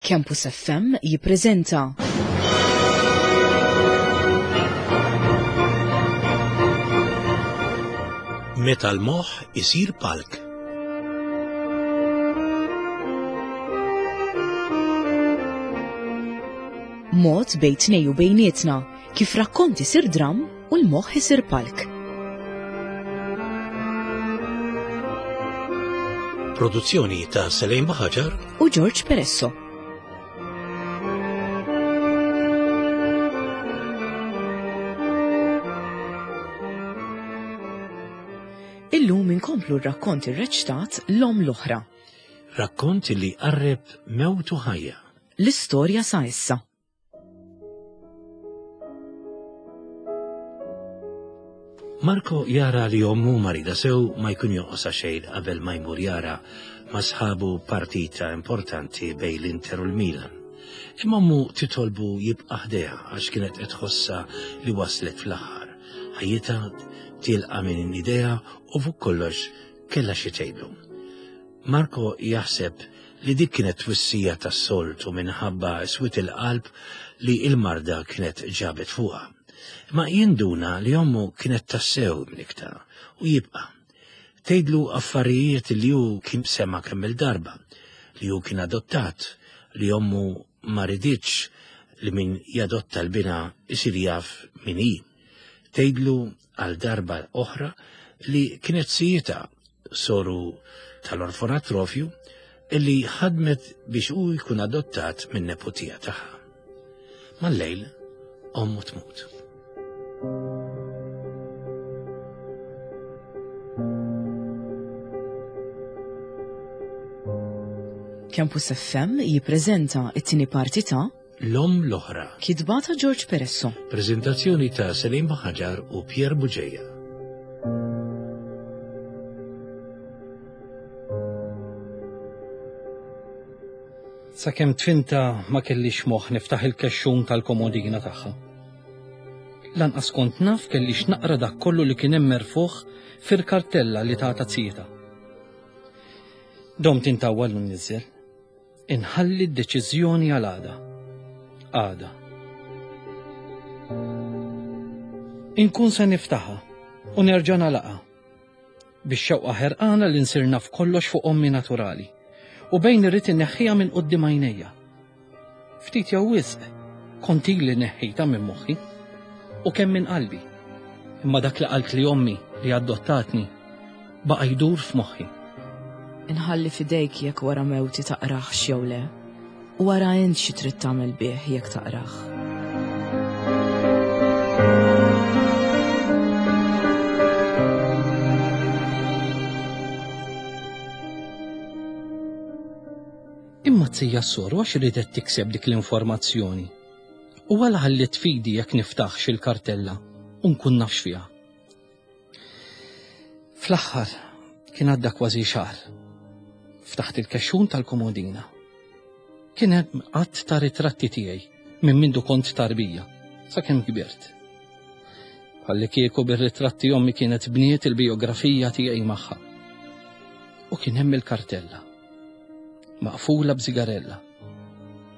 Campus FM jippreżenta. Meta l-moħħ isir palk. Mod bejn tnej u bejnietna kif rakkont isir dramm u l-moħħ isir palk. Produzzjoni ta' Selejn Baħaġar u George Peresso. Illum inkomplu r-rakkont irreċtat l-om l-oħra. Rakkont li qarreb mewt u ħajja. L-istorja sa issa. Marco jara li ommu marida sew ma jkun jonqosha xejn qabel ma jmur jara ma' sħabu partita importanti bejn l-Inter u l-Milan. Imma ommu titolbu jibqa' ħdejha għax kienet qed tħossha li waslet fl-aħħar. Ħajjitha tilqa' minn idejha u fuq kollox kellha xi tgħidlu. Marco jaħseb li dik kienet twissija tas-soltu minħabba swied il-qalb li l-marda kienet ġabet fuqha. Imma jinduna li ommu kienet tassew imnikkta u jibqa'. Tgħidlu affarijiet li hu kien sema' kemm-il darba, li hu kien adottat, li ommu ma riditx li min jadotta l-binha jsir jaf min hi. Tgħidlu għal darba oħra li kienet sijitha soru tal-orfonatrofju illi ħadmet biex hu jkun adottat minn neputija tagħha. Mal-lejl, ommu tmut. Campus FM jippreżenta it-tieni parti ta' L-Omm l-Oħra. Kitba ta' George Peresso. Preżentazzjoni ta' Selim Ħaġar u Pierre Buġeja. Sakemm tfinta ma kellix moħħ niftaħ il-kexxun tal-komodina tagħha. Lanqas kont naf kellix naqra dak kollu li kien hemm merfugħ fil-kartella li tata zijita. Domt intawwal u nniżżel. Inħalli d-deċiżjoni għal għada. Għada. Inkun se niftaħha u nerġa' nagħlaqha. Bix-xewqa ħerqana li nsir naf kollox fuq ommi naturali u bejn irrid inneħħiha minn quddiem għajnejja. Ftit jew wisq kont ili neħħejtha minn moħħi u kemm minn qalbi. Imma dak li qaltli ommi li adottatni baqa' jdur f'moħħi. Inħalli f'idejk jekk wara mewti taqrahx jew le, u ara int xi trid tagħmel bih jekk taqrah. Imma t-tija s-soru għax ridet tikseb dik l-informazzjoni. U għala ħalliet f'idi jekk niftaħx il-kartella u nkun naf x'fiha. Fl-aħħar kien għadda kważi xahar. Ftaħt il-kexxun tal-komodina. Kien hemm għadd ta' ritratti tiegħi minn mindu kont tarbija sakemm kbirt. Bħalli kieku bir-ritratti ommi kienet bniet il-bijografija tiegħi magħha. U kien hemm il-kartella. Maqfula b'sigarella.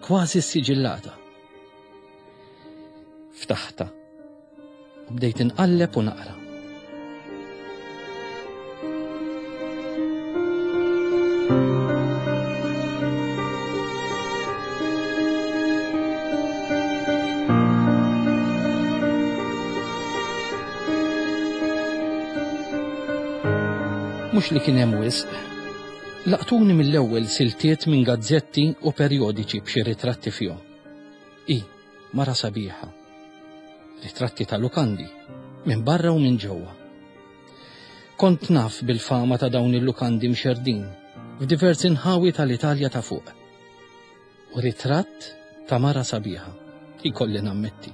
Kważi ssiġillata. Ftaħtha u bdejt inqalleb u naqra. Mhux li kien hemm wisq. Laqtuni mill-ewwel siltiet minn gazzetti u perjodiċi b'xi ritratti fihom. Hi, mara sabiħa. Ritratti ta' lukandi, minn barra u minn ġewwa. Kont naf bil-fama ta' dawn il-lukandi mxerrdin f'diversi nħawi tal-Italja ta' fuq. U ritratt ta' mara sabiħa, ikolli nammetti.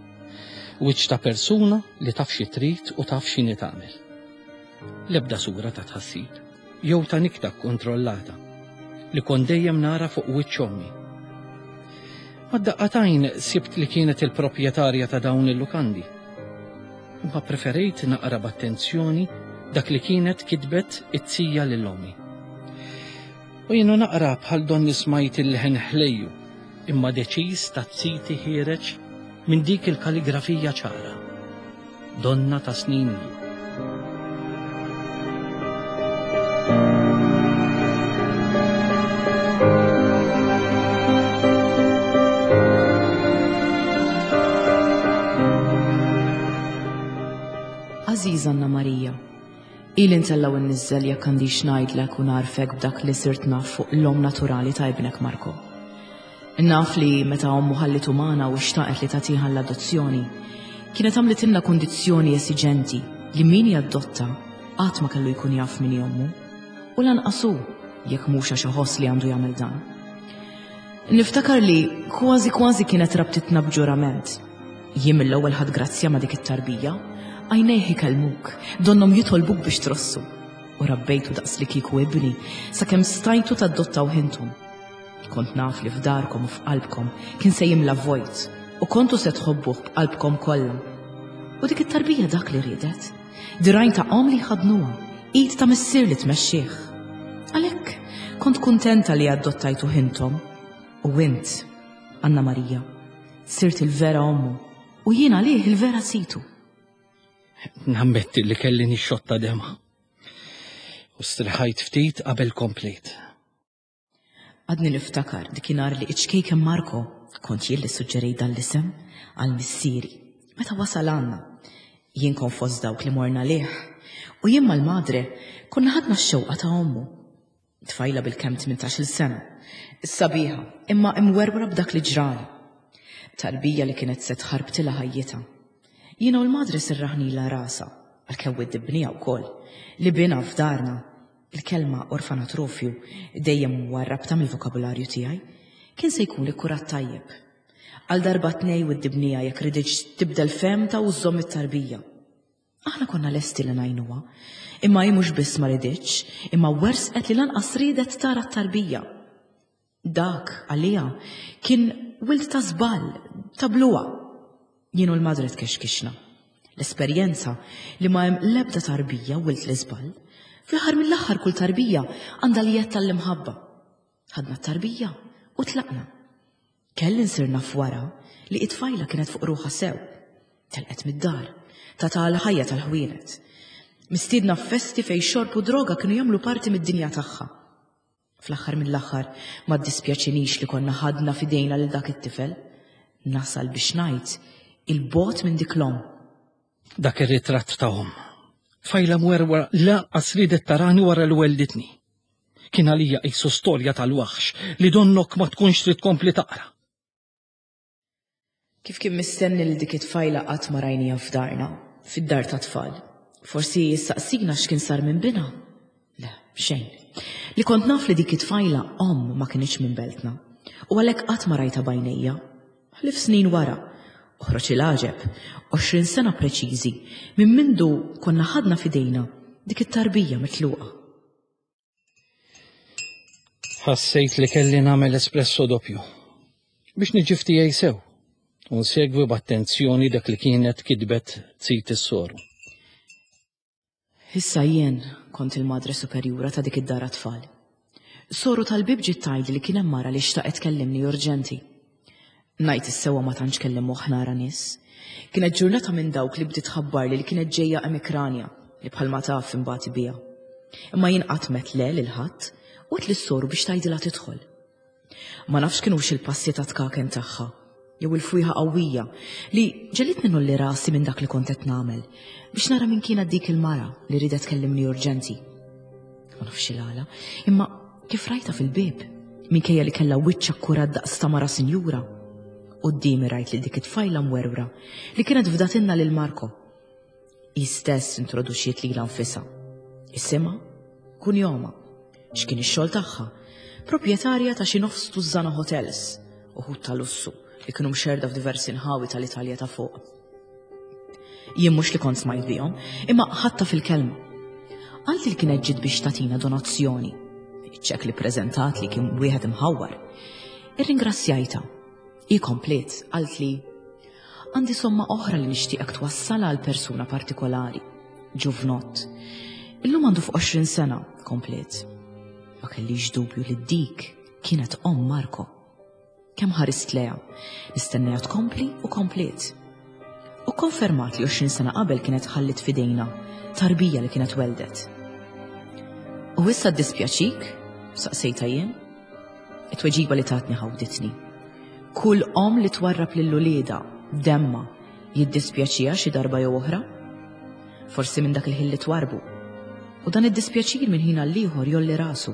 Wiċċ ta' persuna li taf xi trid u taf x'inhi tagħmel. L-ebda sura ta' tħassib, jew ta' nikta kkontrollata, li kont dejjem nara fuq wiċċ ommi. Mad-daqqa t'għajn sibt li kienet il-proprjetarja ta' dawn il-lukandi. Imma preferejt naqra b'attenzjoni dak li kienet kitbet it-tija lil ommi. U jienu naqra bħal donni smajt il-leħen ħlejju. imma deċiż ta' Ziti ħiereġ minn dik il-kaligrafija ċara. Donna ta' snin ilu. Għażiża Anna Marija, ili ntella' u nniżżel jekk għandix ngħidlek u ngħarrfek b'dak li sirt naf fuq l-omm naturali ta' ibnek Marco. Naf li meta ommu ħallitu magħna u xtaqet li tagħtiha l-adozzjoni, kienet għamlitilna kundizzjoni esiġenti li min jaddotta qatt ma kellu jkun jaf min hi ommu, u lanqas hu, jekk mhux għax iħoss li għandu jagħmel dan. Niftakar li kważi kważi kienet rabtitna b'ġurament. Jien mill-ewwel ħadt grazzja ma' dik it-tarbija, għajnejh ikellmuk, donnhom jitolbuk biex trossu. U rabbejtu daqs li kieku ibni, sakemm stajtu tadottawh intom. Kont naf li f'darkom u f'qalbkom kien se jimla vojt u kontu se tħobbuh b'qalbkom kollha. U dik it-tarbija dak li riedet. Dirgħajn ta' omm li jħaddnuha, id ta' missier li tmexxih. Għalhekk kont kuntenta li adottajtuh intom. U int, Anna Marija, sirt il-vera ommu u jien għalih il-vera situ. Nammetti li kelli nixxotta dema. U striħajt ftit qabel komplejt. Għadni niftakar dikinhar li iċ-ċkejken Marco, kont jien li ssuġġerejt dan l-isem, għal missieri, meta wasal għandna. Jien kont fost dawk li morna għalih, u jien mal-madre konna ħadna x-xewqa ta' ommu. Tfajla bilkemm tmintax-il sena, sabiħa, imma imwerwra b'dak li ġralha. Tarbija li kienet se tħarbtilha ħajjitha. Jiena u l-madre serraħnilha rasha, għalkemm widdibniha wkoll, li binha f'darna Il-kelma orfanatrofju dejjem warrabtha mill-vokabularju tiegħi, kien se jkun ikkurat tajjeb. Għal darba tnej widdibniha jekk riditx tibdel fehmtha u żżomm it-tarbija. Aħna konna lesti li ngħinuha, imma hi mhux biss ma riditx, imma wersqet li lanqas riedet tara t-tarbija. Dak, għaliha, kien wild ta' żball, ta' bluha. Jien u l-madre tkexkixna. L-esperjenza li ma hemm l-ebda tarbija wild l-iżball. Fl-aħħar mill-aħħar kull tarbija għandha l-jedd tal-imħabba. Ħadna t-tarbija u tlaqna. Kelli nsir naf wara li it-tfajla kienet fuq ruħha sew. Telqet mid-dar, tata għal ħajja tal-ħwienet. Mistiedna f'festi fejn xorb u droga kienu jagħmlu parti mid-dinja tagħha. Fl-aħħar mill-aħħar ma ddispjaċinix li konna ħadna f'idejna lil dak it-tifel. Nasal biex ngħid 'il bogħod minn dik l-omm. Dak ir-ritratt ta' omm. Tfajla mwerwra lanqas riedet tarani wara li wellditni. Kien għalija qisu storja tal-waħx li donnok ma tkunx trid tkompli taqra. Kif kien mistenni lil dik it-tfajla qatt ma rajniha f'darna, fid-dar tat-tfal. Forsi ssaqsina x'kien sar minn binha? Le, xejn. Li kont naf li dik it-tfajla omm ma kinitx minn beltna, u għalhekk qatt ma rajtha b'għajnejja. Ħlief snin wara, oħroġ il-għaġeb, 20 sena preċiżi minn mindu konna ħadna f'idejna dik it-tarbija mitluqa. Ħassejt li kelli nagħmel espresso doppju biex niġi f'tiegħi sew u nsegwi b'attenzjoni dak li kienet kitbet zit is-soru. Issa jien kont il-madre superjura ta' dik id-dar għat-tfal. Soru tal-bieb ġiet tgħidli li kien hemm mara li xtaqet tkellimni urġenti. Ngħid is-sewwa ma tantx kelli moħħ nara nies. Kienet ġurnata minn dawk li bdiet tħabbarli li kienet ġejja emikranja li bħalma taf inbati biha. Imma jien qatt m'għedt le lil ħadd u għedt lis-soru biex tgħidilha tidħol. Ma nafx kinux il-passi ta' tkaken tagħha jew il-fwieħa qawwija li ġelitni nolli rasi minn dak li kont qed nagħmel biex nara min kienet dik il-mara li riedet tkellimni urġenti. Ma nafx il-għala, imma kif rajta fil-bieb, minkejja li kellha wiċċ akkurat daqs ta' mara sinjura. Quddiemi rajt lil dik it-tfajla mwerwra li kienet fdatilna lil Marco. Hi stess introduċiet lilha nfisha. Isimha, kunjoma, x'kien ix-xogħol tagħha, proprjetarja ta' xi nofs tużżana hotels, uħud ta' lussu li kienu mxerrda f'diversi nħawi tal-Italja ta' fuq. Jien mhux li kont smajt bihom, imma ħadtha fil-kelma. Qaltli li kienet ġiet biex tagħtina donazzjoni. Iċ-ċekk li ppreżentat li kien wieħed imħawwar. Irringrazzjajtha. Hi kompliet, qaltli, Għandi somma oħra li nixtieqek twassalha għal persuna partikolari, ġuvnott. Illum għandu fuq 20 sena, kompliet. Ma kellix dubju li dik kienet omm Marco. Kemm ħarist lejha, nistenniha tkompli u kompliet. U konfermat li 20 sena qabel kienet ħallit fidejna tarbija li kienet weldet. U issa ddispjaċik? Saqsejta jien. It-tweġiba li tatni ħawditni. Kull om li twarrab lil uliedha demma jiddispjaċiha xi darba jew oħra. Forsi minn dak il-ħin li twarbu. U dan id-dispjaċir minn ħin għal ieħor jolli rasu.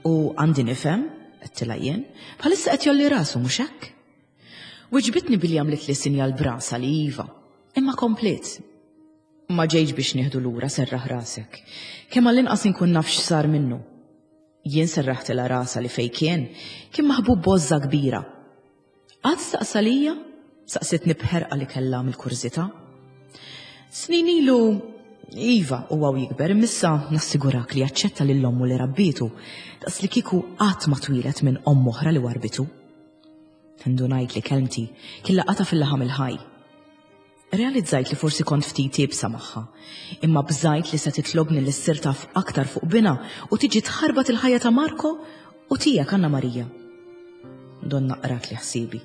U għandi nifhem, għedtilha jien, bħalissa qed jolli rasu mhux hekk? Wiġbitni billi għamlet li sinjal brasa li iva, imma kompliet. Ma ġejġ biex nieħdu lura serraħ rasek. Kemm għall-inqas inkun naf x'sar minnu. Jien serraħtilha rasha li fejn kien, kien maħbub b'għożża kbira. Qatt staqsa lija? Saqsitni b'ħerqa li kellha mill-kurżità. Snin ilu, iva, huwa u jikber, imma nassigurak li jaċċetta lil ommu li rabbietu, daqs li kieku qatt ma twieled minn omm oħra li warbitu. Indunajt li kelmti kien laqata fil-laħam il-ħaj. Realizzajt li forsi kont ftit iebsa magħha, imma bżajt li se titlobni li ssir taf aktar fuq binha u tiġi tħarbat il-ħajja ta' Marco u tiegħek Anna Marija. Donna qrat li ħsiebi.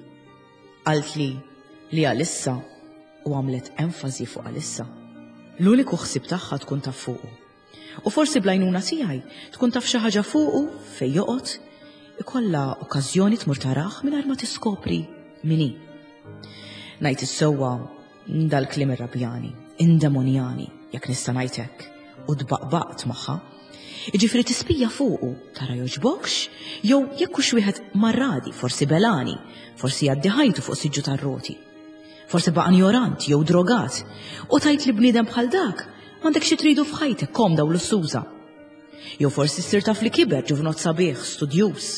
Qaltli li għalissa u għamlet enfasi fuq għalissa. L-uniku ħsieb tagħha tkun taf fuqu. U forsi bl-għajnuna tiegħi tkun taf xi ħaġa fuqu fejn joqgħod, ikollha okkażjoni tmur tarah mingħajr ma tiskopri min hi. Ngħid is-sewwa dal-kliem irrabjani, indemonjani, jekk nista' ngħid hekk, u tbaqbaqt magħha. Jiġifieri tispija fuqu, tara jogħġbokx, jew jekk hux wieħed marradi, forsi belani, forsi jgħaddi ħajtu fuq siġġu tar-roti. Forsi baqa' njorant jew drogat u tajt li bniedem bħal dak m'għandek xi tridu f'ħajtek komda u lussuża. Jew forsi ssir taf li kiber ġuvnot sabiħ, studjuż,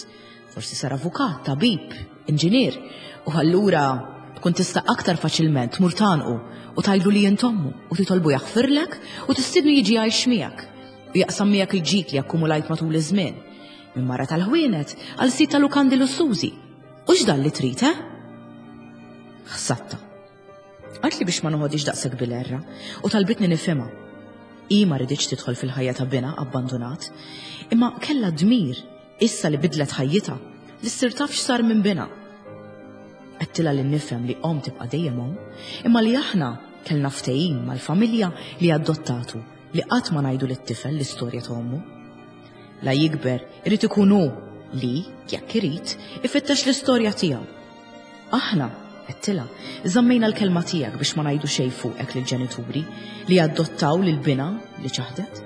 forsi sar avukat, tabib, inġinier, u allura tkun tista' aktar faċilment tmur tagħnqu u tgħidlu li int ommu u titolbu jaħfirlek u tistiednu jiġi jgħix miegħek u jaqsam miegħek il-ġid li akkumulajt matul iż-żmien. Minn mara tal-ħwienet għal sit ta' lukandi lussużi. U x'dan li trid, eh? Ħsatta. Qaltli biex ma noħodix daqshekk bil-erra u talbitni nifhimha. Hi ma riditx tidħol fil-ħajja ta' binha abbandunat, imma kellha dmir issa li bidlet ħajjitha li ssir taf x'sar minn binha. Għedtilha li nifhem li omm tibqa' dejjem omm, imma li aħna kellna ftehim mal-familja li adottatu li qatt ma ngħidu lit-tifel l-istorja ta' ommu. La jikber, irid ikun hu li, jekk irid, ifittex l-istorja tiegħu. Aħna, għedtilha, żammejna l-kelma tiegħek biex ma ngħidu xejn fuqek lill-ġenituri li adottaw lil binha li ċaħdet.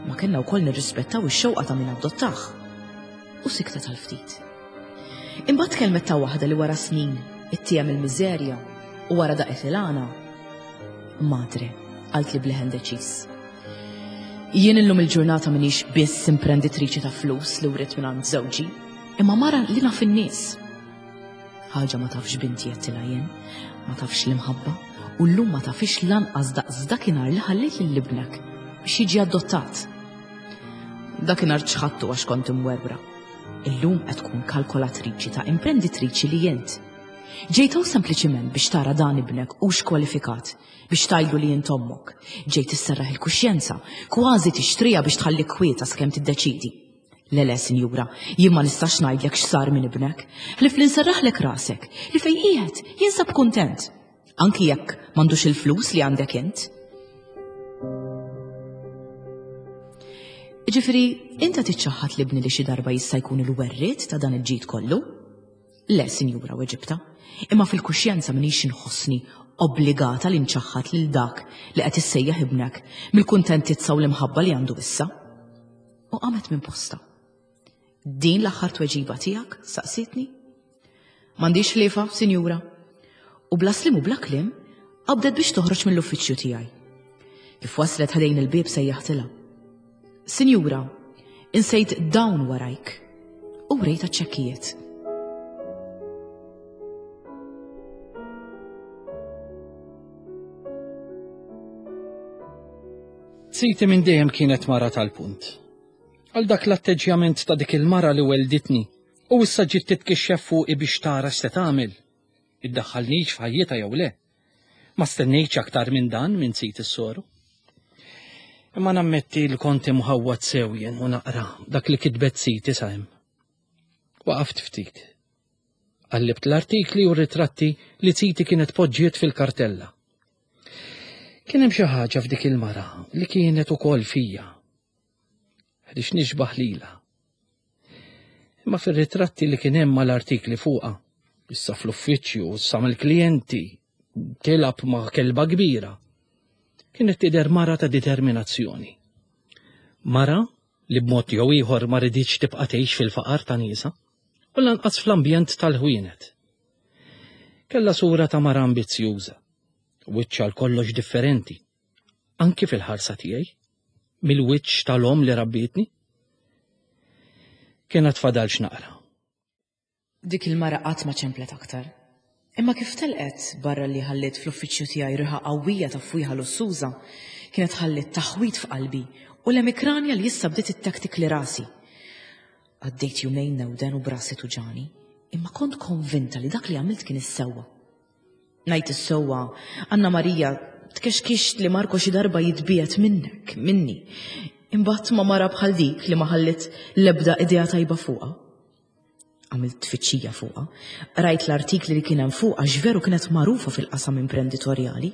Ma kellna wkoll nirrispettaw ix-xewqa ta' min adottah. U siktet għal ftit. Imbagħad tkellmet ta' waħda li wara snin ittiehem il-miżerja u wara daqet il-għana. Madre, qaltli b'leħen deċiż. Jien illum il-ġurnata minix biss imprenditriċi ta' flus li writt minn għand żewġi, imma mara li naf in-nies. Ħaġa ma tafx binti għedtilha jien, ma tafx l-imħabba, u llum ma tafix lanqas daqs dakinhar li ħallejt lil ibnek biex jiġi adottat. Dakinhar ċħadtu għax kont imwerwra. Illum qed tkun kalkolatriċi ta' imprenditriċi li int. Ġejt hawn sempliċiment biex tara dan ibnek hux kwalifikat biex tgħidlu li int ommok. Ġejt isserraħ il-kuxjenza, kważi tixtriha biex tħallik kwieta sakemm tiddeċidi. Le le, sinjura, jien ma nistax ngħidlek x'sar minn ibnek, ħlief li nserraħlek rasek li fejn qiegħed jinsab kuntent, anki jekk m'għandux il-flus li għandek int. Ġifieri, inta tiċċaħħad l-ibni li xi darba jista' jkun il-werriet ta' dan il-ġid kollu? Le, sinjura, weġibtha, imma fil-kuxjenza m'iniex inħossni obbligata li nċaħħad lil dak li qed issejjaħ ibnek mill-kuntentizza u l-imħabba li għandu issa. U qamet minn postha. Din l-aħħar tweġiba tiegħek? saqsietni. M'għandix ħliefa, sinjura. U bla slim u bla kliem, qabdet biex toħroġ mill-uffiċċju tiegħi. Kif waslet ħdejn il-bieb sejjaħtilha. Sinjura, insejt dawn warajk. U wrejtha ċ-ċekkijiet. Siti minn dejjem kienet mara tal-punt. Għal dak l-atteġġjament ta' dik il-mara li welditni u issa ġiet titkixxef fuqi biex tara x'se tagħmel. Iddaħħalnix f'ħajjitha jew le. Ma stennejtx aktar minn dan minn sit is-soru. Imma nammetti li kont imħawwad sew jien u naqra dak li kitbet siti sa hemm. Waqaft ftit. Qallibt l-artikli u r-ritratti li ziti kienet poġġiet fil-kartella. Kien hemm xi ħaġa f'dik il-mara li kienet ukoll fija. Ħdix nixbaħ lilha. Imma fir-ritratti li kien hemm mal-artikli fuqha, issa fl-uffiċċju, issa mill-klijenti, tilab ma' kelba kbira. Kienet tidher mara ta' determinazzjoni. Mara li b'mod jew ieħor ma riditx tibqa' tgħix fil-faqar ta' niesha u lanqas fl-ambjent tal-ħwienet. Kellha sura ta' mara ambizzjuża, wiċċ għal kollox differenti, anki fil-ħarsa tiegħi, mill-wiċċ tal-omm li rabbietni. Kien għad fadal x'naqra. Dik il-mara qatt ma ċemplet aktar. Imma kif telqet, barra li ħalliet fl-uffiċċju tiegħi riħa qawwija ta' fwieħa lussuża, kienet ħalliet taħwid f'qalbi u l-emikranja li issa bdiet ittektikli rasi. Għaddejt jumejn newden u b'rasi tuġagħni, imma kont konvinta li dak li għamilt kien is-sewwa. Ngħid is-sewwa, Anna Marija, tkexkixt li Marco xi darba jitbiegħed minnek, minni. Imbagħad ma' mara bħal dik li ma ħalliet l-ebda idea tajba fuqha. Għamilt tfittxija fuqha, qrajt l-artikli li kien hemm fuqha x'veru kienet magħrufa fil-qasam imprenditorjali.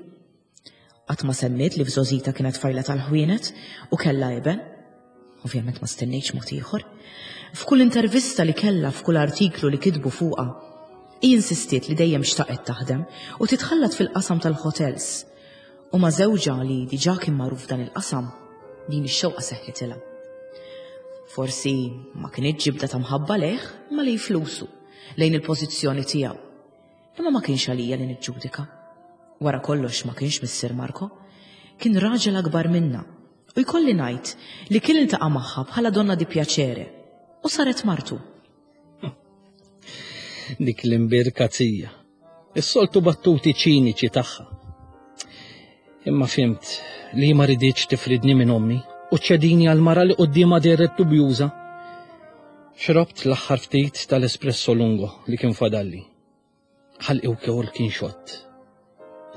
Qatt ma semmiet li f'żgħożitha kienet tfajla tal-ħwienet u kellha iben. Ovvjament ma stennejtx mod ieħor. F'kull intervista li kellha f'kull artiklu li kitbu fuqha, hi insistiet li dejjem xtaqet taħdem u titħallat fil-qasam tal-ħotels. U ma' żewġha li diġà kien magħruf f'dan il-qasam, din ix-xewqa seħħitilha. Forsi ma kinitx ġibda ta' mħabba lejh, imma lejn flusu, lejn il-pożizzjoni tiegħu. Imma ma kienx għalija li niġġudika. Wara kollox ma kienx missier Marco. Kien raġel akbar minna u jkolli ngħid li kien iltaqa' magħha bħala donna di piacere u saret martu. Dik l-imbirka zija. Is-soltu battuti ċiniċi tagħha. Imma fimt li ma riditx tifridni minn ommi u ċedini għal mara li quddiemha dehret dubjuża. Xrobt l-aħħar ftit tal-espresso lungo li kien fadalli. Ħalqi wkoll kien xott.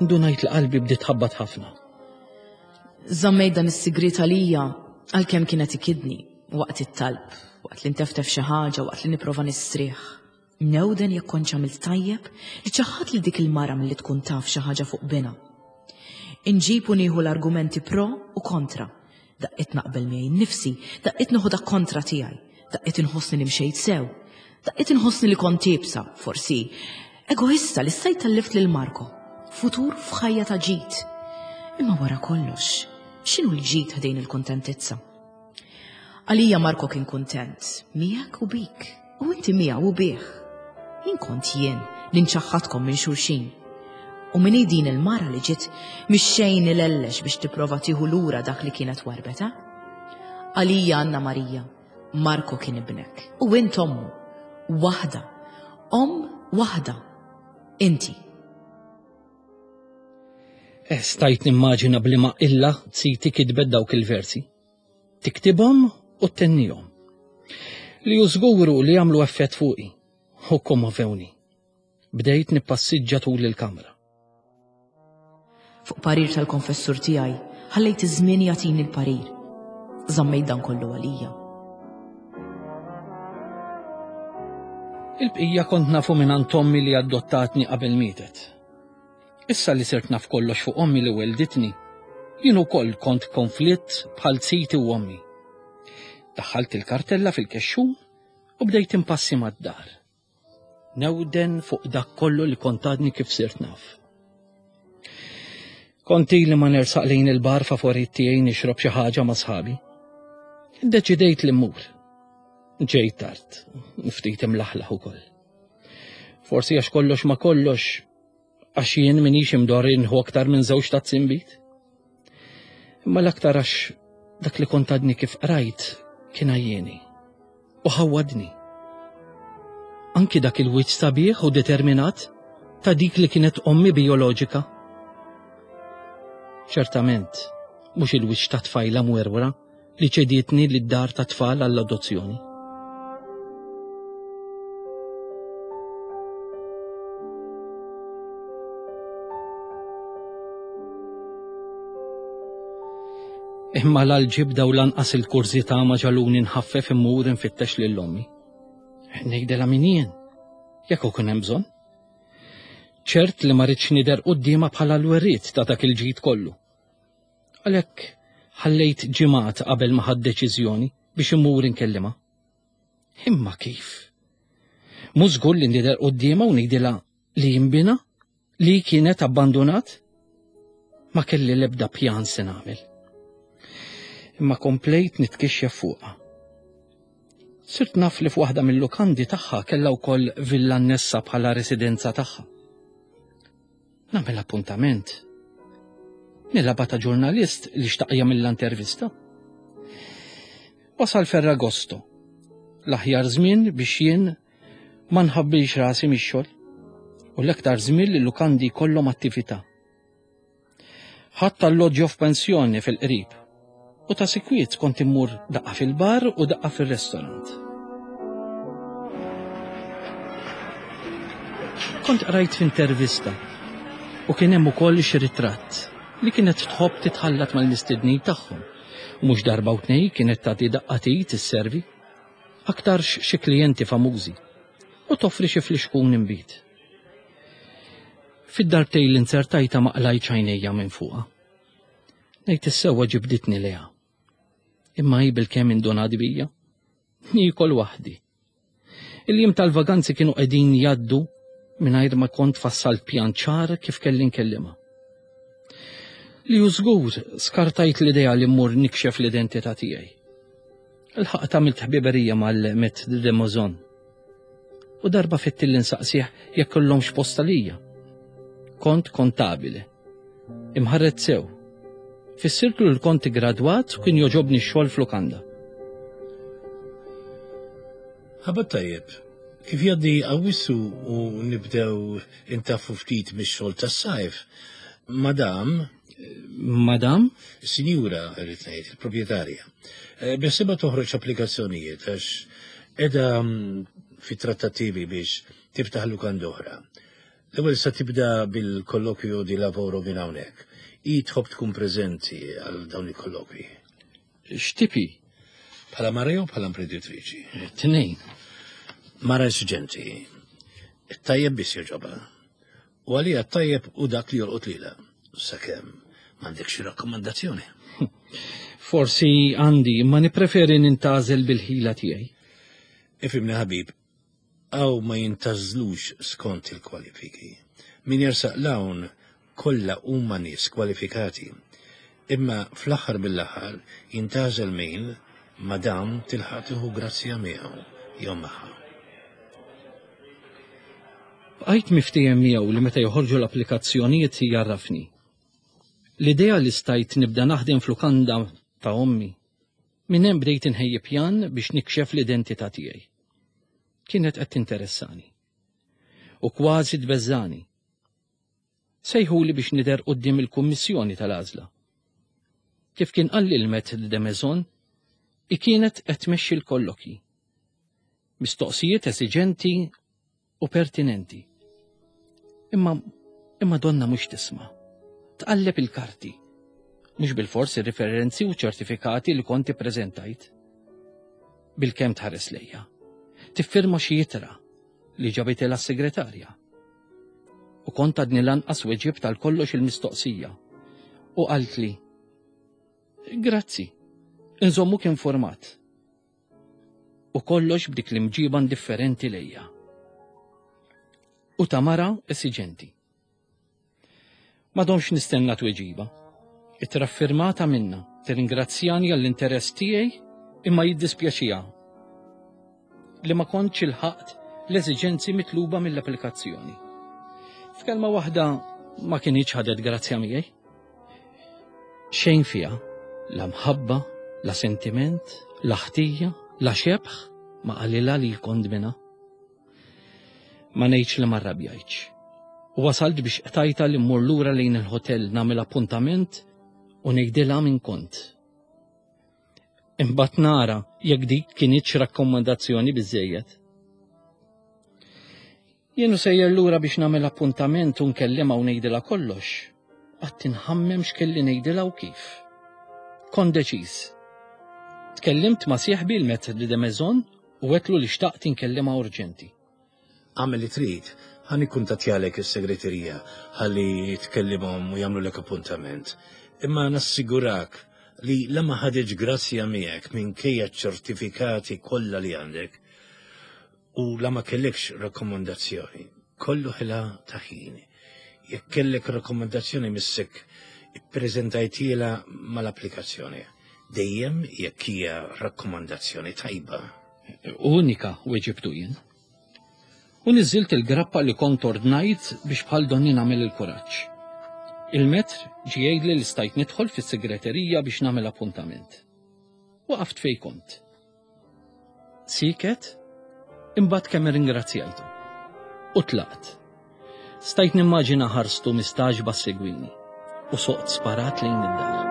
Indunajt li qalbi bdiet tħabbat ħafna. Żammejt dan is-sigriet għalija għalkemm kienet ikidni waqt it-talb, waqt li nteftef xi ħaġa, waqt li nipprova nistrieħ. Newden jekk kontx għamilt tajjeb li ċaħħadt lil dik il-mara milli tkun taf xi ħaġa fuq binha. Inġib u nieħu l-argumenti pro u kontra. Daqqiet naqbel miegħi nnifsi, daqqiet noħodha kontra tiegħi, daqqiet inħossni li mxejt sew, daqqiet inħossni li kont iebsa, forsi egoista li stajt tellift lil Marco, futur f'ħajja ta' ġid. Imma wara kollox, x'inhu l-ġid ħdejn il-kuntentizza? Għalija Marco kien kuntent, miegħek u bik, u inti miegħu u bih. Min kont jien li nċaħħadkom minn xulxin? U min hi din il-mara li ġiet mix-xejn ilellex biex tipprova tieħu lura dak li kienet warbet, eh? Għalija Anna Marija, Marco kien ibnek u int ommu. Waħda. Omm waħda. Inti. Eh, stajt nimmaġina b'liema illa ziti kitbet dawk il-versi. Tiktibhom u ttennihom. Li hu żgur hu li għamlu effett fuqi u kkommovewni. Bdejt nippassiġġa tul il-kamra. Fuq parir tal-konfessur tiegħi, ħallejt iż-żmien jagħtini l-parir. Żammejt dan kollu għalija. Il-bqija kont nafu mingħand ommi li adottatni qabel mietet. Issa li sirt naf kollox fuq ommi li wellditni, jien ukoll kont konflitt bħal ziti u ommi. Daħħalt il-kartella fil-kexxun u bdejt impassi mad-dar. Newden fuq dak kollu li kont għadni kif sirt naf. Kont ili ma nersaq lejn il-bar favorit tiegħi nixrob xi ħaġa ma' sħabi. Iddeċidejt li mmur. Ġejt tard, ftit imlaħlaħ ukoll. Forsi għax kollox ma kollox, għax jien minix imdorri nħu aktar minn żewġ tazzi nbid. Imma l-aktar għax dak li kont għadni kif qrajt kien għajjieni u ħawwadni. Anki dak il-wiċċ sabiħ u determinat ta' dik li kienet ommi bijoloġika. Ċertament, mhux il-wiċċ ta' tfajla mwerwra li ċedietni lid-dar tat-tfal għall-adozzjoni. Imma la l-ġibda u lanqas il-kurżità ma ġagħluni nħaffef immur infittex lil ommi. Ngħidilha min jien. Jekk ikun hemm bżonn. Ċert li ma ridx nidher quddiemha bħala l-werriet ta' dak il-ġid kollu. Għalhekk ħallejt ġimgħat qabel ma ħadt deċiżjoni biex immur inkellimha. Imma kif? Mhux żgur li nidher quddiemha u ngħidilha li jimbina li kienet abbandunat? Ma kelli l-ebda pjan se nagħmel. Imma komplejt nitkixxef fuqha. Sirt naf li f'waħda mill-lukandi tagħha kellha wkoll villa annessa bħala residenza tagħha. Nagħmel appuntament. Nilaba ta' ġurnalist li xtaq jagħmilha intervista. Wasal Ferragosto, l-aħjar żmien biex jien ma nħabbilx rasi mix-xogħol u l-aktar żmien li lukandi jkollhom attività. Ħadt alloġġjo f'pensjoni fil-qrib u ta' sikwiet kont immur daqqa fil-bar u daqqa fil-restorant. Kont qrajt f'intervista u kien hemm ukoll xi ritratt li kienet tħobb titħallat mal-mistednin tagħhom u mhux darba u tnej kienet tagħti daqqa t'id isservi aktarx xi klijenti famużi u toffri xi flixkun inbid. Fid-darbtejn li nzertajtha ma qlajtx għajnejja minn fuqha. Ngħid is-sewwa ġibditni lejha. Imma hi bilkemm indunat bija. Niekol waħdi. Il-jiem tal-vaganzi kienu qegħdin jgħaddu mingħajr ma kont fassalt pjan ċar kif kelli nkellimha. Li hu żgur skartajt l-idea li mmur nikxef l-identità tiegħi. Il-ħaqq għamilt ħbiberija mal-Met de Mozon. U darba fittilli nsaqsih jekk kellhomx post għalija. Kont kontabile. Imħarret sew. Fissirtlu li kont gradwat u kien joġobni x-xogħol f'lukanda. Ħabat tajjeb. Kif jgħaddi Awwissu u nibdew intaffu ftit mix-xogħol tas-sajf, madam Madam? Sinjura, irrid ngħid, il-proprjetarja. Eh, Beħsiebha toħroġ applikazzjonijiet għax qiegħda mm, fi trattattivi biex tiftaħ lukanda oħra. L-ewwel sa tibda bil-kollokju di lavoro minn hawnhekk. Hi tħobb tkun preżenti għal dawn il-kollokwi. X'tipi? Bħala mara jew bħala imprenditriċi? Tnejn. Mara esiġenti. Tajjeb biss jogħġobha. U għalija t-tajjeb hu dak li jolqot lilha. Sakemm m'għandekx xi rakkomandazzjoni. Forsi għandi, imma nippreferi nintgħażel bil-ħila tiegħi. Ifhimni ħabib, hawn ma jintgħażlux skont il-kwalifiki. Min jersaq 'l hawn kollha huma nies kwalifikati. Imma fl-aħħar mill-aħħar jintgħażel min madam tilħaq tieħu grazzja miegħu jew magħha. Bqajt miftiehem miegħu li meta joħorġu l-applikazzjonijiet jgħarrafni. L-idea li stajt nibda naħdem f'lukanda ta' ommi. Minn hemm bdejt inħejji pjan biex nikxef l-identità tiegħi. Kienet qed tinteressani. U kważi tbeżżani. Sejħuli biex nidher quddiem il-kummissjoni tal-għażla. Kif kien qalli l-Maître de Maison, hi kienet qed tmexxi l-kollokji. Mistoqsijiet esiġenti u pertinenti. Imma imma donna mhux tisma'. Tqalleb il-karti. Mhux bilfors ir-riferenzi u ċertifikati li kont ippreżentajt. Bilkemm tħares lejja. Tiffirma xi ittra li ġabitilha s-segretarja. U kont għadni lanqas weġibt għal kollox il-mistoqsija. U qaltli, Grazzi, inżommuk informat. U kollox b'dik l-imġiba indifferenti lejja. U ta' mara esiġenti. Ma domx nistenna tweġiba. Ittra ffirmata minnha tirringrazzjani għall-interess tiegħi imma jiddispjaċiha li ma kontx ilħaqt l-eżiġenzi mitluba mill-applikazzjoni. F'kelma waħda ma kinitx ħadet grazzja miegħi. Xejn fiha, la mħabba, la sentiment, la ħtija, la xebħ ma qalilha li kont minha. Ma ngħidx li ma rrabjajtx. U wasalt biex qtajta li mmur lura lejn il-hotel nagħmel appuntament u ngħidilha min kont. Imbagħad nara jekk dik kinitx rakkomandazzjoni biżejjed. Jien u sejjer lura biex nagħmel appuntament u nkellimha u ngħidilha kollox. Qatt inħammem x'kelli ngħidilha u kif. Kont deċiż. Tkellimt ma' sieħbi l-Maître de Maison u għedtlu li xtaqt inkellimha urġenti. Agħmel li trid, ħa nikkuntattjalek is-segreterija ħalli tkellimhom u jagħmlulek appuntament. Imma nassigurak li la ma ħaditx grazzja miegħek minkejja ċ-ċertifikati kollha li għandek u la ma kellekx rakkomandazzjoni, kollu ħela ta' ħin. Jekk kellek rakkomandazzjoni missek ippreżentajtielha mal-applikazzjoni. Dejjem jekk hija rakkomandazzjoni tajba. Unika, weġibtu jien. U niżżilt il-grappa li kont ordnajt biex bħal donni nagħmel il-kuraġġ. Il-metr ġie jgħidli li stajt nidħol fis-segreterija biex nagħmel appuntament. Waqaft fejn kont. Siket, imbagħad kemm irringrazzjajtu. U tlaqt. Stajt nimmaġina ħarstu mistagħġba ssegwini u soqt sparat lejn id-dar.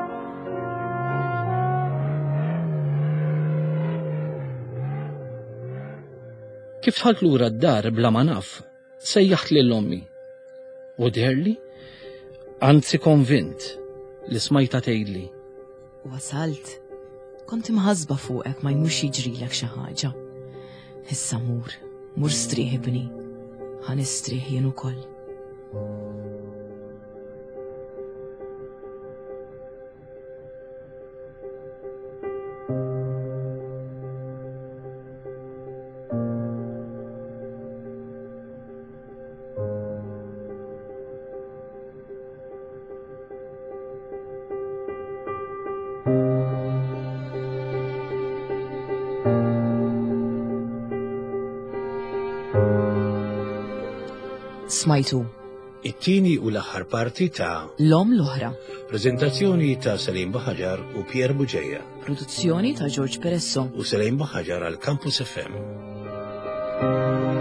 Kif dħalt lura d-dar bla ma naf, sejjaħt lil ommi. U deherli, anzi konvint, li smajta tgħidli. Wasalt. Kont imħasba fuqek ma jmurx jiġrilek xi ħaġa. Issa mur, mur strieħ ibni. Ħa nistrieħ jien ukoll. Smajtu. It-tieni u l-aħħar parti ta' L-Omm l-Oħra. Preżentazzjoni ta' Salim Baħaġar u Pierre Buġeja. Produzzjoni ta' George Peresso. U Salim Baħaġar għal Campus FM.